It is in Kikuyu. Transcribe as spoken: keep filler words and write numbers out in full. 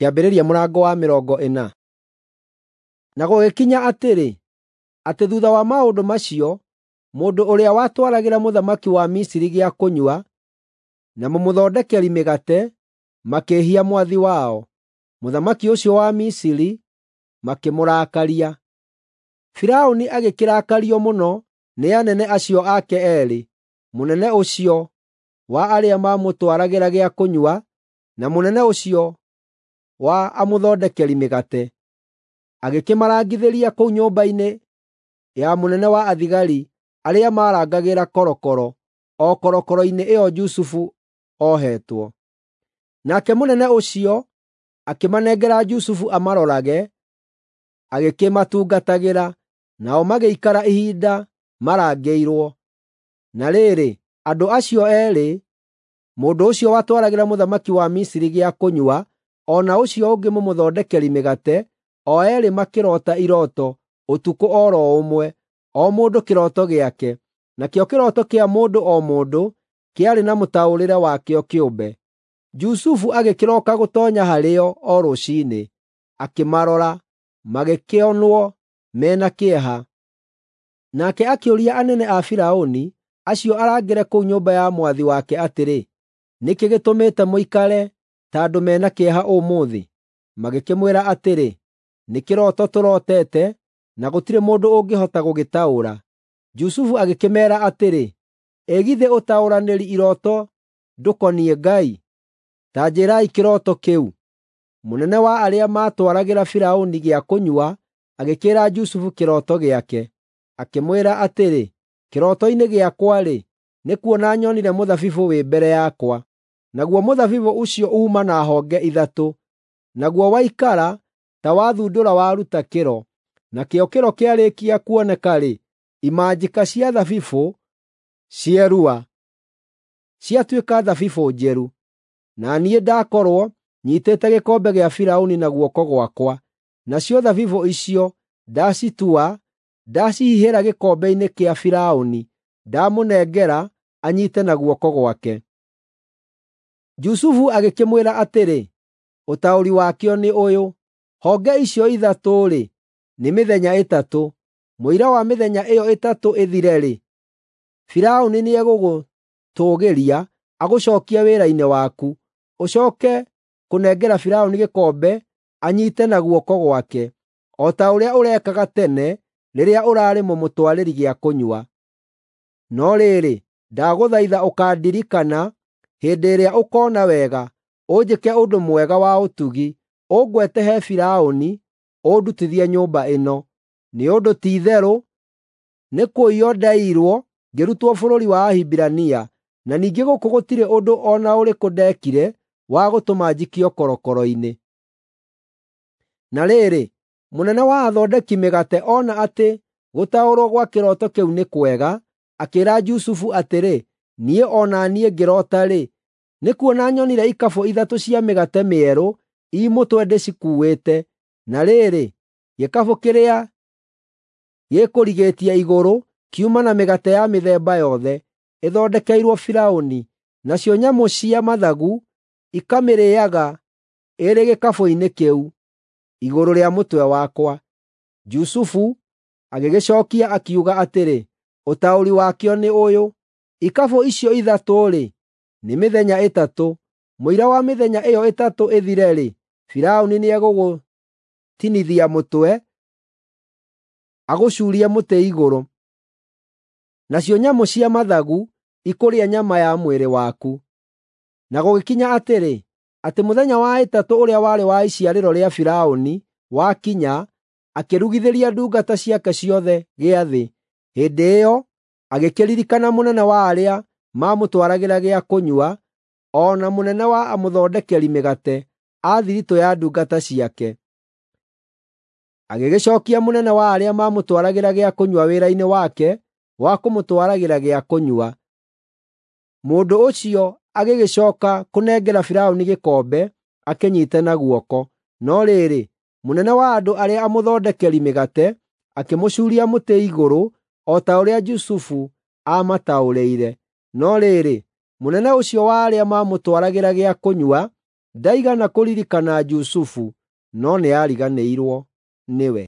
Kĩambĩrĩria mũrango wa mĩrongo ĩna. Na gũgĩkinya atĩrĩ, atĩ thuutha wa maũndũ macio, mũndũ ũrĩa watwaragĩra mũthamaki wa Misiri gĩa kũnyua na mũmũthondekeri mĩgate makĩĩhia mwathi wao. Mũthamaki ũcio wa Misiri makĩmũrakaria. Firaũni agĩkĩrakario mũno nĩ anene acio ake eerĩ, mũnene ũcio wa arĩa maamũtwaragĩra gĩa kũnyua na mũnene ũcio wa amũthondekeri mĩgate. Agĩkĩmarangithĩria kũu nyũmba-inĩ ya mũnene wa athigari arĩa maarangagĩra korokoro, o korokoro-inĩ ĩyo Jusufu ohetwo. Nake mũnene ũcio akĩmanengera Jusufu amarorage, agĩkĩmatungatagĩra, nao magĩikara ihinda marangĩirwo. Na rĩrĩ, andũ acio eerĩ, mũndũ ũcio watwaragĩra mũthamaki wa Misiri gĩa kũnyua, o na ũcio ũngĩ mũmũthondekeri mĩgate, o eerĩ makĩroota irooto ũtukũ o ro ũmwe, o mũndũ kĩroto gĩake, nakĩo kĩroto kĩa mũndũ o mũndũ kĩarĩ na mũtaũrĩre wakĩo kĩũmbe. Jusufu agĩkĩroka gũtoonya harĩo o rũciinĩ, akĩmarora, magĩkĩonwo me na kĩeha. Nake akĩũria anene a Firaũni acio arangĩre kũu nyũmba ya mwathi wake atĩrĩ, “Nĩ kĩĩ gĩtũmĩte mũikare ta andũ me na kĩeha ũmũthĩ?” Magĩkĩmwĩra atĩrĩ, “Nĩ kĩroto tũrotete, na gũtirĩ mũndũ ũngĩhota gũgĩtaũra.” Jusufu agĩkĩmeera atĩrĩ, “Ĩ githĩ ũtaũranĩri irooto ndũkoniĩ Ngai? Ta njĩĩrai kĩroto kĩu.” Mũnene wa arĩa maatwaragĩra Firaũni gĩa kũnyua agĩkĩĩra Jusufu kĩroto gĩake, akĩmwĩra atĩrĩ, “Kĩroto-inĩ gĩakwa-rĩ, nĩkuona nyonire mũthabibũ wĩ mbere yakwa. Naguo mũthabibũ ũcio uuma na honge ithatũ. Naguo waikara ta wathundũra waruta kĩro. Nakĩo kĩro kĩarĩkia kuoneka-rĩ, imanjĩka cia thabibũ cierua, ciatuĩka thabibũ njeru. Na niĩ ndakorwo nyiitĩte gĩkombe gĩa Firaũni na guoko gwakwa, nacio thabibũ icio ndacitua ndacihihĩra gĩkombe-inĩ kĩa Firaũni, ndamũnengera anyiite na guoko gwake.” Jusufu agĩkĩmwĩra atĩrĩ, “Ũtaũri wakĩo nĩ ũyũ: Honge icio ithatũ-rĩ, nĩ mĩthenya ĩtatũ. Mũira wa mĩthenya ĩyo ĩtatũ ĩthire-rĩ, Firaũni nĩegũgũtũũgĩria agũcookie wĩra-inĩ waku, ũcooke kũnengera Firaũni gĩkombe anyiite na guoko gwake, o ta ũrĩa ũrekaga tene rĩrĩa ũraarĩ mũmũtwarĩri gĩa kũnyua. No rĩrĩ, ndagũthaitha ũkandirikana hĩndĩ ĩrĩa ũkoona wega, ũnjĩke ũndũ mwega wa ũtugi, ũngwete he Firaũni, ũndutithie nyũmba ĩno. Nĩ ũndũ ti-itherũ nĩkũiywo ndaiyirwo ngĩrutwo bũrũri wa Ahibirania, na ningĩ gũkũ gũtirĩ ũndũ o na ũrĩkũ ndeekire wa gũtũma njikio korokoro-inĩ.” Na rĩrĩ, mũnene wa athondeki mĩgate ona atĩ gũtaũrwo gwa kĩroto kĩu nĩ kwega, akĩĩra Jusufu atĩrĩ, “Niĩ o na niĩ ngĩroota-rĩ, nĩkuona nyonire ikabũ ithatũ cia mĩgate mĩerũ ii mũtwe ndĩcikuuĩte. Na rĩrĩ, gĩkabũ kĩrĩa gĩkũrigĩtie igũrũ kiuma na mĩgate ya mĩthemba yothe, ĩthondekeirwo Firaũni, nacio nyamũ cia mathagu ikamĩrĩĩaga ĩrĩ gĩkabũ-inĩ kĩu, igũrũ rĩa mũtwe wakwa.” Jusufu agĩgĩcookia akiuga atĩrĩ, “Ũtaũri wakĩo nĩ ũyũ: Ikabũ icio ithatũ-rĩ, nĩ mĩthenya ĩtatũ. Mũira wa mĩthenya ĩyo ĩtatũ ĩthire-rĩ, Firaũni nĩegũgũtinithia mũtwe, agũcuurie mũtĩ igũrũ, nacio nyamũ cia mathagu ikũrĩa nyama ya mwĩrĩ waku.” Na gũgĩkinya atĩrĩ, atĩ mũthenya wa ĩtatũ ũrĩa warĩ wa iciarĩro rĩa Firaũni wakinya, akĩrugithĩria ndungata ciake ciothe gĩathĩ. Hĩndĩ ĩyo agĩkĩririkana mũnene wa arĩa maamũtwaragĩra gĩa kũnyua, o na mũnene wa amũthondekeri mĩgate a thiritũ ya ndungata ciake. Agĩgĩcookia mũnene wa arĩa maamũtwaragĩra gĩa kũnyua wĩra-inĩ wake wa kũmũtwaragĩra gĩa kũnyua. Mũndũ ũcio agĩgĩcooka kũnengera Firaũni gĩkombe akĩnyiite na guoko. No rĩrĩ, mũnene wa andũ arĩa amũthondekeri mĩgate akĩmũcuuria mũtĩ igũrũ o ta ũrĩa Jusufu aamataũrĩire. No rĩrĩ, mũnene ũcio wa arĩa maamũtwaragĩra gĩa kũnyua Ndaigana kũririkana Jusufu, no nĩariganĩirwo nĩwe.